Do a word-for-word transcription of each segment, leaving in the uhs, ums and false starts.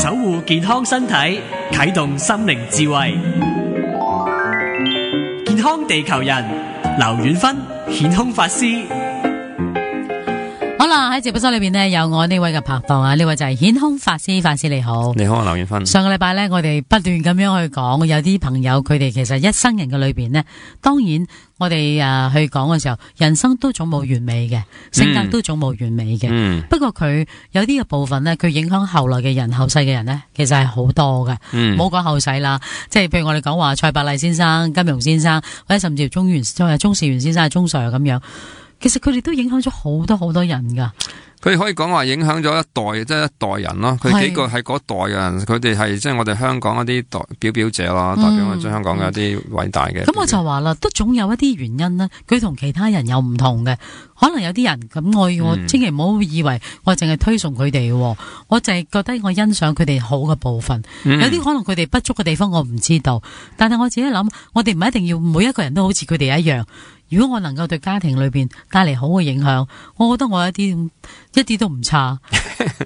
守護健康身體，啟動心靈智慧。健康地球人，劉遠芬顯空法師。好啦，喺直播室裏邊呢，有我呢位嘅拍檔啊，呢位就係顯空法師。法師你好。你好啊，劉遠芬。上個禮拜呢，我哋不斷咁樣去講，有啲朋友佢哋其實一生人嘅裏邊呢，當然我哋誒、呃、去講嘅時候，人生都總冇完美嘅，性格都總冇完美嘅。嗯、不過佢有啲嘅部分呢，佢影響後來嘅人、後世嘅人呢，其實係好多嘅。唔好講後世啦，即係譬如我哋講話蔡伯麗先生、金庸先生，或者甚至鍾元、鍾士元先生、鍾 Sir 咁樣。其實佢哋都影響咗好多好多人噶，佢可以講話影響咗一代，即係一代人咯。佢幾個係嗰代嘅人，佢哋係即係我哋香港一啲代表表者咯，代表我哋香港嘅一啲偉大嘅。咁、嗯、我就話啦，都總有一啲原因啦，佢同其他人有唔同嘅。可能有啲人咁，我我千祈唔好以為我淨係推崇佢哋，我淨係覺得我欣賞佢哋好嘅部分。嗯、有啲可能佢哋不足嘅地方我唔知道，但係我自己諗，我哋唔係一定要每一個人都好似佢哋一樣。如果我能夠對家庭裏邊帶嚟好嘅影響，我覺得我一啲一啲都唔差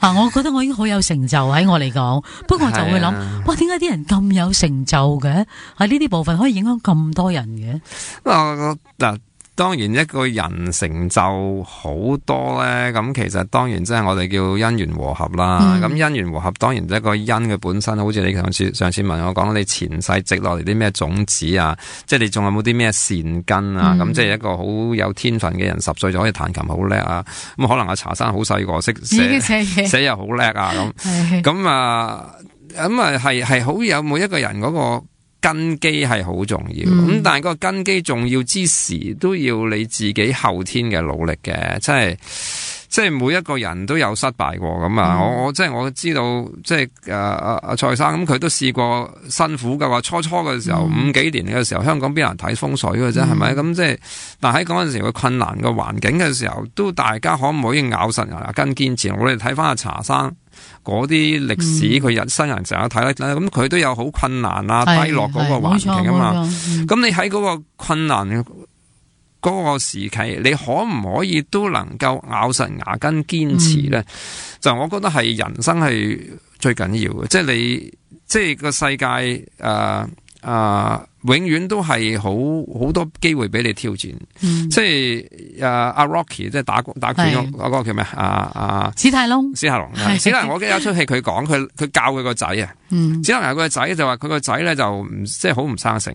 啊！我覺得我已經好有成就喺我嚟講。不過我就會諗，啊、哇，點解啲人咁有成就嘅？喺呢啲部分可以影響咁多人嘅？嗱、呃，當然一個人成就好多咧，咁其實當然即係我哋叫因緣和合啦。咁、嗯、因緣和合當然一個因嘅本身，好似你上次上次問我講，你前世積落嚟啲咩種子啊，即係你仲有冇啲咩善根啊？咁、嗯、即係一個好有天分嘅人，十歲就可以彈琴好叻啊！咁可能阿茶生好細個識寫寫又好叻啊！咁咁啊咁啊係係好有每一個人嗰、那個。根基係好重要，咁、嗯、但係個根基重要之時，都要你自己後天嘅努力嘅，即係即係每一個人都有失敗過咁啊！我我即係我知道，即係誒阿阿蔡生咁，佢都試過辛苦嘅話，初初嘅時候、嗯、五幾年嘅時候，香港邊有人睇風水嘅啫，係咪、嗯？咁即係，但喺嗰陣時個困難嘅環境嘅時候，都大家可唔可以咬實牙根堅持？我哋睇翻阿茶生。嗰啲歷史佢人生人成日睇咧，咁佢都有好困難啊、低落嗰個環境啊嘛。咁、嗯、你喺嗰個困難嗰個時期，你可唔可以都能夠咬實牙根堅持咧？嗯、就我覺得係人生係最緊要嘅，即係你即係個世界誒。呃啊、呃，永遠都係好好多機會俾你挑戰，嗯、即係誒阿 Rocky 即係打打拳嗰嗰個叫咩啊啊史泰龍，史泰龍，史泰龍我記得有出戲佢講佢佢教佢個仔啊，嗯、史泰龍佢個仔就話佢個仔咧就唔即係好唔生性，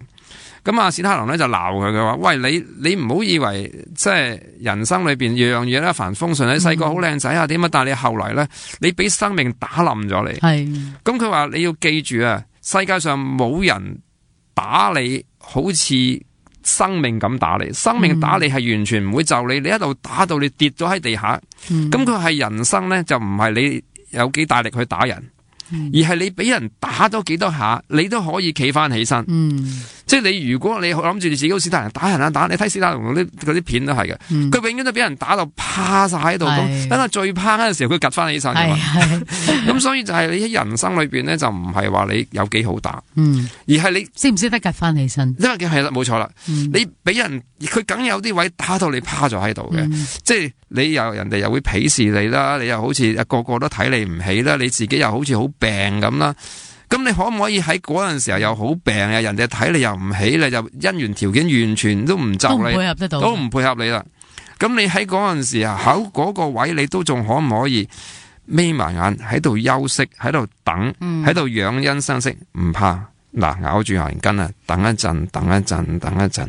咁啊史泰龍咧就鬧佢，佢話喂，你你唔好以為即係人生裏邊樣樣嘢一帆風順，你細個好靚仔啊點啊，但係你後來咧你俾生命打冧咗你，咁佢話你要記住啊，世界上冇人打你好似生命咁打你，生命打你係完全唔會就你，你一路打到你跌咗喺地下。咁佢係人生咧，就唔係你有幾大力去打人，嗯、而係你俾人打咗幾多下，你都可以企翻起身。嗯、即係你如果你諗住你自己好似史泰龍打人啊打，你睇史泰龍嗰啲嗰啲片都係嘅，佢、嗯、永遠都俾人打到趴晒喺度，咁等佢最趴嗰陣時候，佢趌翻起身嘅嘛。咁所以就係你喺人生裏邊咧，就唔係話你有幾好打，嗯、而係你識唔識得趌翻起身。因為係啦，冇錯啦，嗯、你俾人佢梗有啲位打到你趴咗喺度嘅，嗯、即係你又人哋又會鄙視你啦，你又好似個個都睇你唔起啦，你自己又好似好病咁啦。咁你可唔可以喺嗰陣時候又好病啊？人哋睇你又唔起，你就因緣條件完全都唔就你，都唔配合得到，都唔配合你啦。咁你喺嗰陣時啊，喺嗰個位你都仲可唔可以眯埋眼喺度休息，喺度等，喺度養欣生息？唔怕，嗱，咬住牙根啊，等一陣，等一陣，等一陣。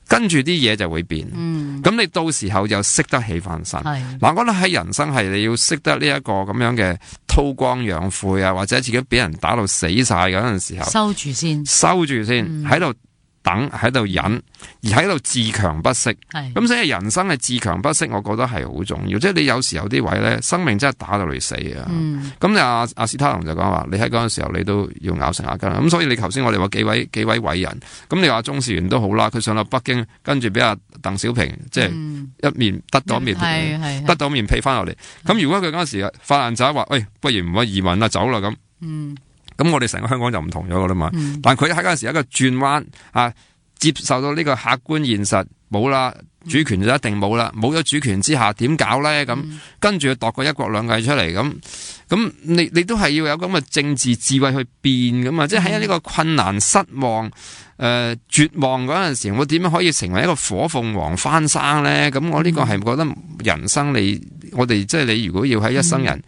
跟住啲嘢就會變，咁、嗯、你到時候就識得起翻身。嗱是，我覺得喺人生係你要識得呢一個咁樣嘅韜光養晦啊，或者自己俾人打到死晒嗰陣時候，收住先，收住先，喺度、嗯。等喺度忍，而喺度自強不息。咁是所以人生嘅自強不息，我覺得係好重要。即係你有時候啲位咧，生命真係打到你死啊！咁你阿阿史泰龍就講話，你喺嗰陣時候你都要咬成牙根。咁所以你頭先我哋話幾位幾位偉人，咁你話鍾士元都好啦，佢上到北京，跟住俾阿鄧小平即係一面得到面皮，嗯、得到面皮翻落嚟。咁如果佢嗰陣時發爛渣話，喂，不如唔好移民啦，走啦咁。嗯咁我哋成個香港就唔同咗噶啦嘛，嗯、但佢喺嗰陣時一個轉彎啊，接受到呢個客觀現實，冇啦，主權就一定冇啦，冇咗主權之下點搞咧？咁、嗯、跟住度個一國兩制出嚟，咁咁你你都係要有咁嘅政治智慧去變噶嘛？嗯、即係喺呢個困難、失望、誒、呃、絕望嗰陣時，我點樣可以成為一個火鳳凰翻生咧？咁我呢個係覺得人生你我哋即係你如果要喺一生人。嗯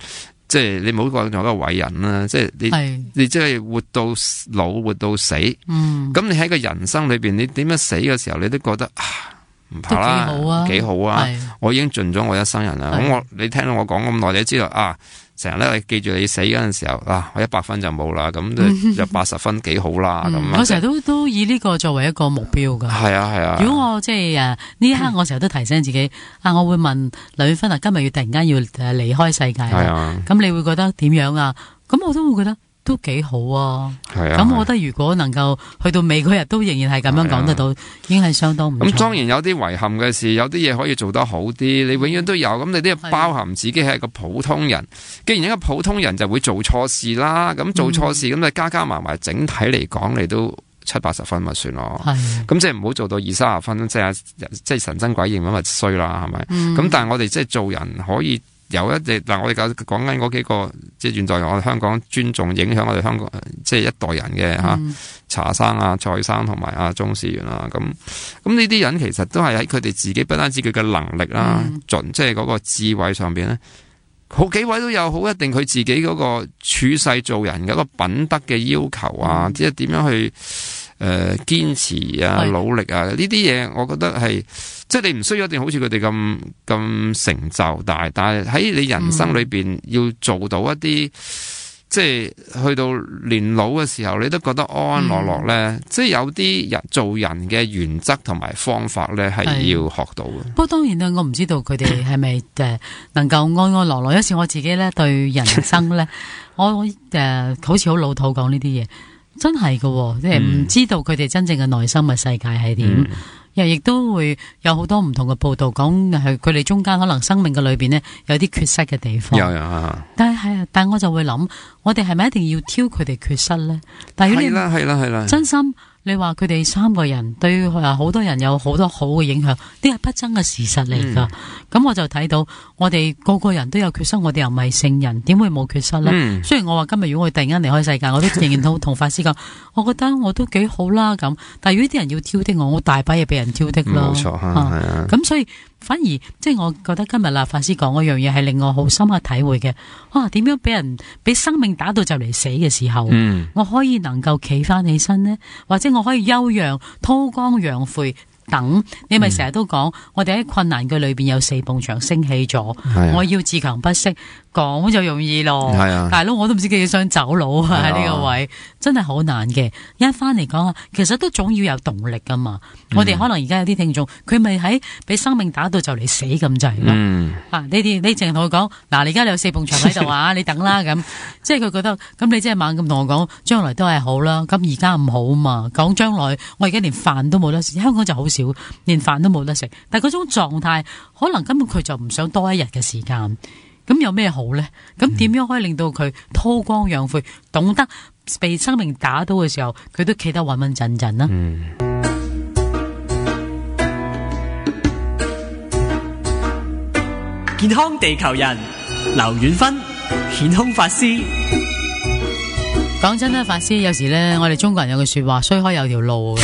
即係你唔好講做一個偉人啦，即係你是你即係活到老活到死，咁、嗯、你喺個人生裏邊，你點樣死嘅時候，你都覺得啊唔怕啦，幾好啊，幾好啊，我已經盡咗我一生人啦。咁我你聽到我講咁耐，你都知道啊。成日咧，你記住你死嗰陣時候啊，我一百分就冇啦，咁就有八十分幾好啦。咁、嗯、我成日都都以呢個作為一個目標噶。係啊係啊。如果我即係誒呢一刻，我成日都提醒自己啊，我會問劉遠芬啊，今日要突然間要誒離開世界啦。係啊。咁你會覺得點樣啊？咁我都會覺得。都幾好啊！係啊，咁我覺得如果能夠去到尾嗰日都仍然係咁樣講得到，啊、已經係相當唔錯。咁當然有啲遺憾嘅事，有啲嘢可以做得好啲。你永遠都有，咁你都要包含自己係一個普通人。既然一個普通人就會做錯事啦，咁做錯事咁你、嗯、加加埋埋，整體嚟講你都七八十分咪算咯。係，咁即係唔好做到二三十分，即係即係神憎鬼厭咁咪衰啦，係咪？咁、嗯、但係我哋即係做人可以。有一隻嗱，我哋講講緊嗰幾個，即係現在我哋香港尊重影響我哋香港即係一代人嘅吓，嗯、查生啊、蔡生同埋阿鍾士元啊，咁咁呢啲人其實都係喺佢哋自己不單止佢嘅能力啦，盡、嗯、即係嗰個智慧上邊咧，好幾位都有好一定佢自己嗰個處世做人嘅一個品德嘅要求啊，嗯、即係點樣去誒堅、呃、持啊、努力啊呢啲嘢，我覺得係。即係你唔需要一定好似佢哋咁咁成就大，但係喺你人生裏邊要做到一啲，嗯、即係去到年老嘅時候，你都覺得安安樂樂咧。嗯、即係有啲人做人嘅原則同埋方法咧，係要學到嘅。不過當然啦，我唔知道佢哋係咪誒能夠安安樂樂。有時我自己咧對人生咧，我誒、呃、好似好老土講呢啲嘢，真係嘅，即係唔知道佢哋真正嘅內心嘅世界係點。嗯又亦都會有好多唔同嘅報道講係佢哋中間可能生命嘅裏邊呢，有啲缺失嘅地方。有有啊！但係係啊，但係我就會諗，我哋係咪一定要挑佢哋缺失咧？但係如果你係啦係啦係啦，真心。你話佢哋三個人對好多人有好多好嘅影響，呢係不爭嘅事實嚟噶。咁、嗯、我就睇到我哋個個人都有缺失，我哋又唔係聖人，點會冇缺失呢？嗯、雖然我話今日如果我突然間離開世界，我都仍然都同法師講，我覺得我都幾好啦咁。但係如果啲人要挑剔我，我大把嘢俾人挑剔咯。冇錯，係啊。咁所以反而即係、就是、我覺得今日啦，法師講嗰樣嘢係令我好深刻體會嘅。哇！點樣俾人俾生命打到就嚟死嘅時候，嗯、我可以能夠企翻起身呢？或者我可以休養、韜光養晦等，你咪成日都講，嗯、我哋喺困難嘅裏邊有四埲牆升起咗，啊、我要自強不息。講就容易咯，啊、大佬我都唔知幾想走佬啊！喺呢、啊、個位真係好難嘅。一翻嚟講啊，其實都總要有動力噶嘛。嗯、我哋可能而家有啲聽眾，佢咪喺俾生命打到就嚟死咁滯咯。嗯、啊，你哋你淨係同佢講，嗱，你而家你有四埲牆喺度啊，你等啦咁。即係佢覺得，咁你即係猛咁同我講，將來都係好啦。咁而家唔好嘛，講將來，我而家連飯都冇得食，香港就好少，連飯都冇得食。但係嗰種狀態，可能根本佢就唔想多一日嘅時間。咁有咩好呢？咁點樣可以令到佢韜光養晦，懂得被生命打到嘅時候，佢都企得穩穩陣陣呢？嗯、健康地球人劉遠芬顯空法師。講真啦，法師有時咧，我哋中國人有句說話，衰開有條路嘅。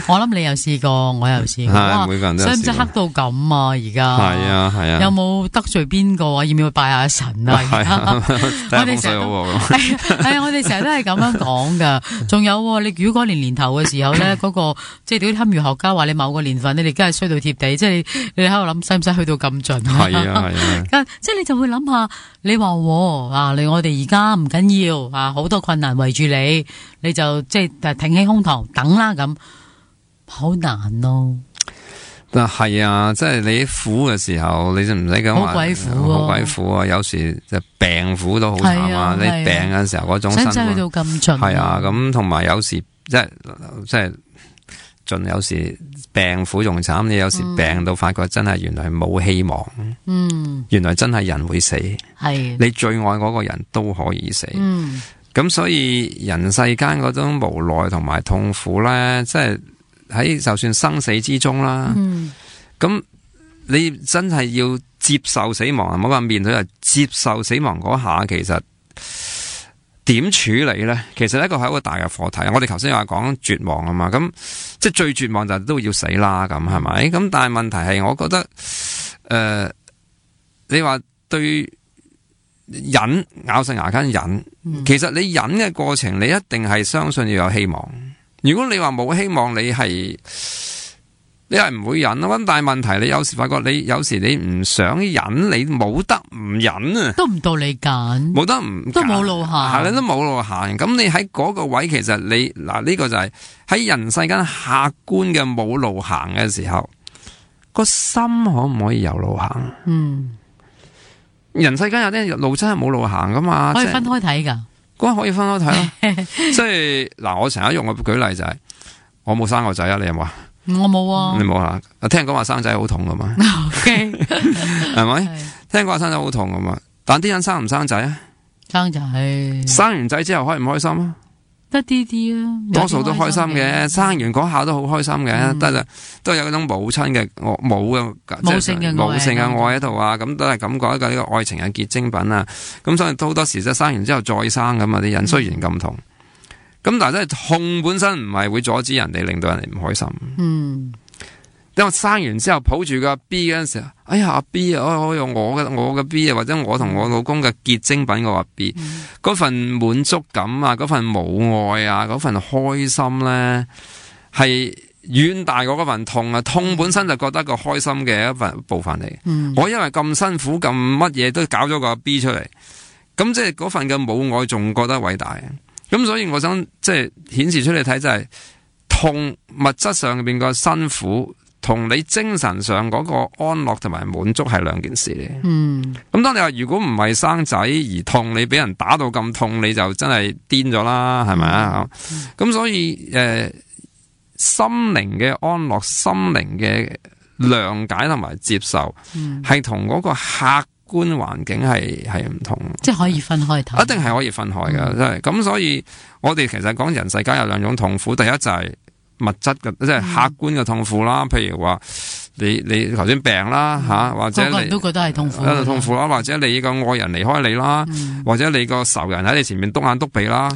我諗你又試過，我又試過。哇，每個人都有試過。使唔使黑到咁啊？而家係啊係啊。有冇得罪邊個啊？要唔要拜下神啊？係啊。我哋成日係係啊，我哋成日都係咁樣講噶。仲有你如果嗰年年頭嘅時候咧，嗰個即係啲堪輿學家話你某個年份，你哋梗係衰到貼地，即係你你喺度諗，使唔使去到咁盡？係啊係啊。即係你就會諗下，你話啊，你我哋而家唔緊要。啊！好多困難圍住你，你就即係挺起胸膛等啦，咁好難咯。嗱係啊，即係你苦嘅時候，你就唔使咁話好鬼苦，好鬼苦啊！有時就病苦都好慘啊！你病嘅時候嗰種辛苦，使唔使去到咁盡？係啊，咁同埋有時即係即係盡，有時病苦仲慘。你有時病到發覺真係原來冇希望，嗯，原來真係人會死，係你最愛嗰個人都可以死，嗯，咁所以人世間嗰種無奈同埋痛苦咧，即係喺就算生死之中啦，咁、嗯、你真係要接受死亡啊！唔好話面對，係接受死亡嗰下，其實點處理咧？其實呢個係一個大嘅課題。我哋頭先話講絕望啊嘛，咁即係最絕望就都要死啦，咁係咪？咁但係問題係，我覺得誒、呃，你話對忍咬實牙根忍，嗯、其實你忍嘅過程，你一定係相信要有希望。如果你話冇希望，你係你係唔會忍咯。咁但係問題，你有時發覺你有時你唔想忍，你冇得唔忍啊，都唔到你揀，冇得唔都冇路行，係你都冇路行。咁你喺嗰個位，其實你嗱呢、這個就係喺人世間客觀嘅冇路行嘅時候，個心可唔可以有路行？嗯，人世間有啲路真係冇路行噶嘛，可以分開睇噶。嗰可以分開睇咯，即係嗱，我成日用嘅舉例就係、是，我冇生過仔啊，你有冇啊？我冇啊，你冇啊？聽講話生仔好痛噶嘛？係咪？聽講話生仔好痛噶嘛？但啲人生唔生仔啊？生仔，生完仔之後開唔開心啊？得啲啲啊，多數都開心嘅，生完嗰下都好開心嘅，得、嗯、都有嗰種母親嘅母嘅母性嘅母性嘅愛喺度啊，咁都係感覺一個呢個愛情嘅結晶品啊，咁所以好多時即係生完之後再生咁啊啲人，雖然咁痛，咁、嗯、但係真係痛本身唔係會阻止人哋，令到人哋唔開心。嗯。因為生完之後抱住個 B 嗰陣時候，哎呀阿 B 啊，我用我嘅我嘅 B 啊，或者我同我老公嘅結晶品個阿 B，嗰、嗯、份滿足感啊，嗰份母愛啊，嗰份開心咧，係遠大過嗰份痛啊！痛本身就覺得個開心嘅一份部分嚟。嗯、我因為咁辛苦咁乜嘢都搞咗個 B 出嚟，咁即係嗰份嘅母愛仲覺得偉大。咁所以我想即係顯示出嚟睇就係、是、痛物質上邊個辛苦。同你精神上嗰個安樂同埋滿足係兩件事嚟。嗯，咁當你話如果唔係生仔而痛，你俾人打到咁痛，你就真係癲咗啦，係咪啊？咁、嗯、所以誒、呃，心靈嘅安樂、心靈嘅諒解同埋接受，係同嗰個客觀環境係係唔同。即係可以分開睇，一定係可以分開噶，真係。咁所以我哋其實講人世間有兩種痛苦，第一就係、是。物質嘅即係客觀嘅痛苦啦，譬如話你你頭先病啦吓、嗯，或者你個個人都覺得係痛苦，喺度痛苦啦，或者你個愛人離開你啦，嗯、或者你個仇人喺你前面篤眼篤鼻啦，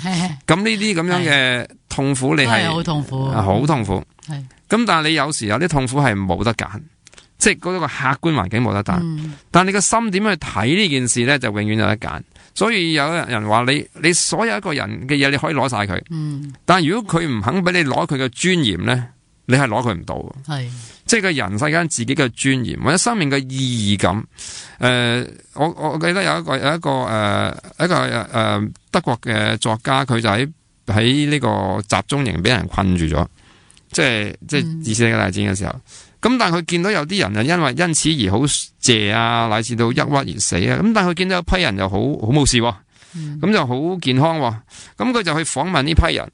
咁呢啲咁樣嘅痛苦你係好痛苦，好痛苦。咁但係你有時有啲痛苦係冇得揀，即係嗰個客觀環境冇得揀，嗯、但係你個心點去睇呢件事咧，就永遠有得揀。所以有人話你，你所有一個人嘅嘢你可以攞晒佢，嗯、但係如果佢唔肯俾你攞佢嘅尊嚴咧，你係攞佢唔到。係，即係個人世間自己嘅尊嚴或者生命嘅意義感。誒、呃，我我記得有一個有一個誒、呃、一個誒、呃、德國嘅作家，佢就喺喺呢個集中營俾人困住咗，即係即係二次世界大戰嘅時候。咁、嗯、但係佢見到有啲人啊，因為因此而好謝啊，乃至到抑鬱而死啊。咁但係佢見到一批人就好好冇事，咁、嗯、就好健康。咁佢就去訪問呢批人，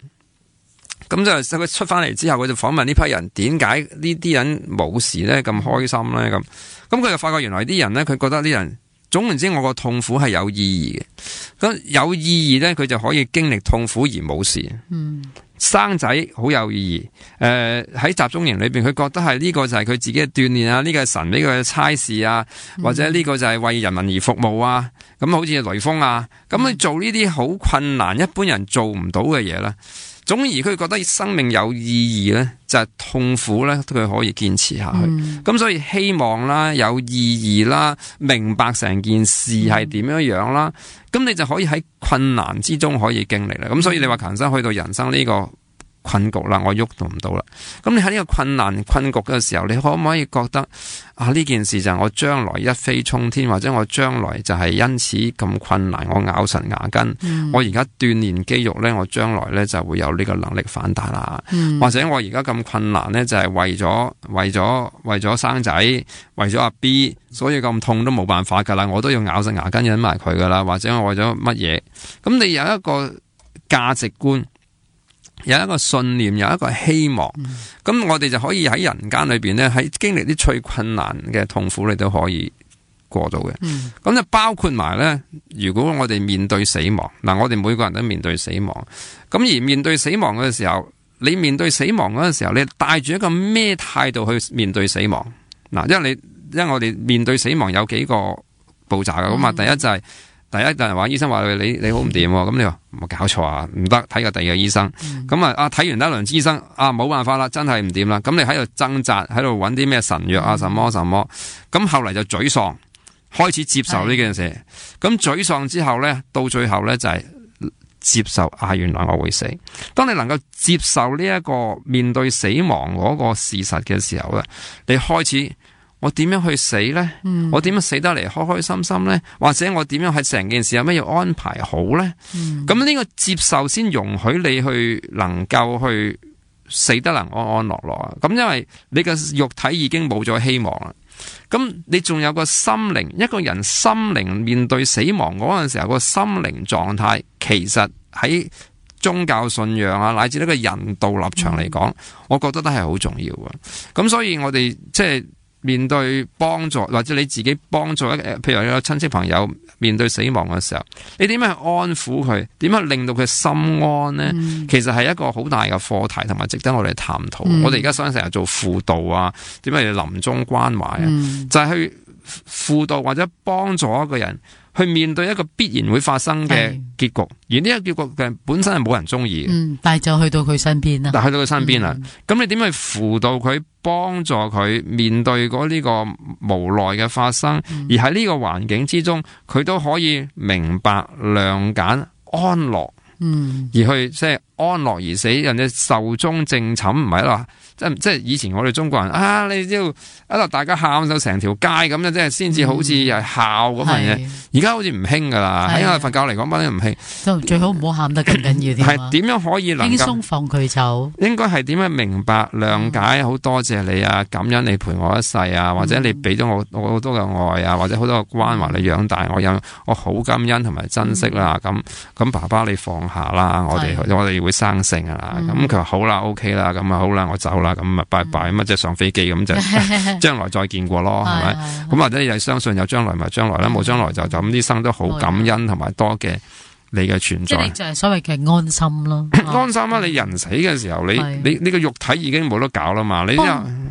咁就佢出翻嚟之後，佢就訪問呢批人，點解呢啲人冇事咧，咁開心咧？咁咁佢就發覺原來啲人咧，佢覺得啲人總言之，我個痛苦係有意義嘅。咁有意義咧，佢就可以經歷痛苦而冇事。嗯。生仔好有意義，誒、呃、喺集中營裏邊，佢覺得係呢個就係佢自己嘅鍛煉啊，呢、這個係神呢個差事啊，或者呢個就係為人民而服務啊，咁好似雷鋒啊，咁你做呢啲好困難，一般人做唔到嘅嘢咧。總而佢覺得生命有意義咧，就係、是、痛苦咧，佢可以堅持下去。咁、嗯、所以希望啦，有意義啦，明白成件事係點樣樣啦，咁、嗯、你就可以喺困難之中可以經歷啦。咁所以你話強生去到人生呢個困局啦，我喐都唔到啦。咁你喺呢個困難困局嘅時候，你可唔可以覺得啊？呢件事就係我將來一飛沖天，或者我將來就係因此咁困難，我咬實牙根，嗯、我而家鍛煉肌肉咧，我將來咧就會有呢個能力反彈啦。嗯、或者我而家咁困難咧，就係為咗為咗為咗生仔，為咗阿 B，所以咁痛都冇辦法噶啦，我都要咬實牙根忍埋佢噶啦。或者我為咗乜嘢？咁你有一個價值觀。有一個信念，有一個希望，咁、嗯、我哋就可以喺人間裏邊咧，喺經歷啲最困難嘅痛苦，你都可以過到嘅。咁、嗯、就包括埋咧，如果我哋面對死亡，嗱，我哋每個人都面對死亡，咁而面對死亡嘅時候，你面對死亡嗰陣時候，你帶住一個咩態度去面對死亡？嗱，因為你因為我哋面對死亡有幾個步驟㗎，咁啊、嗯，第一就係、是、第一就係話醫生話你你好唔掂，咁你話冇搞錯啊，唔得，睇個第二個醫生，咁啊啊睇完一輪醫生啊冇辦法啦，真係唔掂啦，咁你喺度掙扎，喺度揾啲咩神藥啊，什麼什麼，咁後嚟就沮喪，開始接受呢件事，咁沮喪之後咧，到最後咧就係、是。接受啊，原來我會死。當你能夠接受呢一個面對死亡嗰個事實嘅時候咧，你開始我點樣去死呢？嗯、我點樣死得嚟開開心心呢？或者我點樣喺成件事有咩要安排好呢？咁呢、嗯、個接受先容許你去能夠去死得能安安樂樂啊！咁因為你嘅肉體已經冇咗希望啦。咁你仲有個心靈，一個人心靈面對死亡嗰陣時候，個心靈狀態，其實喺宗教信仰啊，乃至呢個人道立場嚟講，嗯、我覺得都係好重要嘅。咁所以我哋即係面對幫助，或者你自己幫助一，譬如有親戚朋友面對死亡嘅時候，你點樣去安撫佢？點樣令到佢心安呢？嗯、其實係一個好大嘅課題，同埋值得我哋探討。嗯、我哋而家想成日做輔導啊，點樣臨終關懷啊，嗯、就係去輔導或者幫助一個人去面對一個必然會發生嘅結局，是而呢個結局嘅本身係冇人中意嘅，嗯，但係就去到佢身邊啦，但係去到佢身邊啦，咁、嗯、你點去輔導佢，幫助佢面對嗰呢個無奈嘅發生，嗯、而喺呢個環境之中，佢都可以明白、諒解、安樂，嗯，而去即係安樂而死，人哋壽終正寢，唔係啦。即即係以前我哋中國人啊，你知道一路大家喊到成條街咁樣，即係先至好似係孝咁樣嘢。而家好似唔興噶啦，喺我佛教嚟講，乜都唔興。就最好唔好喊得咁緊要啲。係點樣可以能夠輕鬆放佢走？應該係點樣明白、諒解？好多謝你啊，感恩你陪我一世啊，或者你俾咗我我好多嘅愛啊，或者好多嘅關懷你養大我，有我好感恩同埋珍惜啦。咁咁爸爸你放下啦，我哋我哋會生性啊啦。咁佢話好啦 ，OK 啦，咁啊好啦，我走啦。咁啊，拜拜咁啊，即係上飛機咁就將來再見過咯，係咪？咁或者你係相信有將來咪將來啦，冇將來就就咁，呢生都好感恩同埋多嘅你嘅存在，即係就係所謂嘅安心咯。安心啦！你人死嘅時候，你你你個肉體已經冇得搞啦嘛。你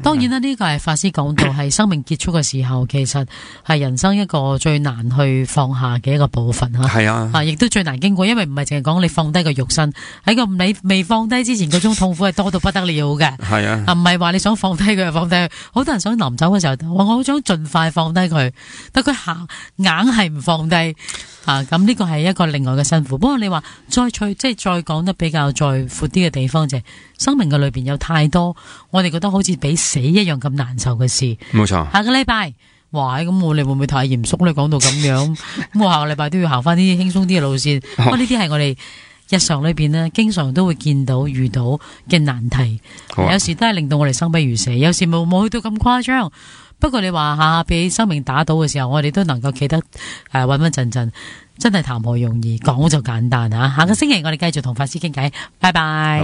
當然啦，呢個係法師講到係生命結束嘅時候，其實係人生一個最難去放下嘅一個部分吓。係啊，啊亦都最難經過，因為唔係淨係講你放低個肉身，喺個你未放低之前，嗰種痛苦係多到不得了嘅。係啊，唔係話你想放低佢就放低佢，好多人想臨走嘅時候，我好想盡快放低佢，但佢行硬係唔放低。啊，咁呢個係一個另外嘅辛苦。不過你話再再即係再講得比較再闊啲嘅地方，就係生命嘅裏邊有太多我哋覺得好似比死一樣咁難受嘅事。冇錯。下個禮拜，哇，咁我哋會唔會太嚴肅咧？講到咁樣，咁我下個禮拜都要行翻啲輕鬆啲嘅路線。不過呢啲係我哋日常裏邊呢，經常都會見到遇到嘅難題。啊、有時都係令到我哋生不如死，有時冇冇去到咁誇張。不過你話下下俾生命打倒嘅時候，我哋都能夠企得誒穩穩陣陣，真係談何容易，講就簡單啊！下個星期我哋繼續同法師傾偈，拜拜。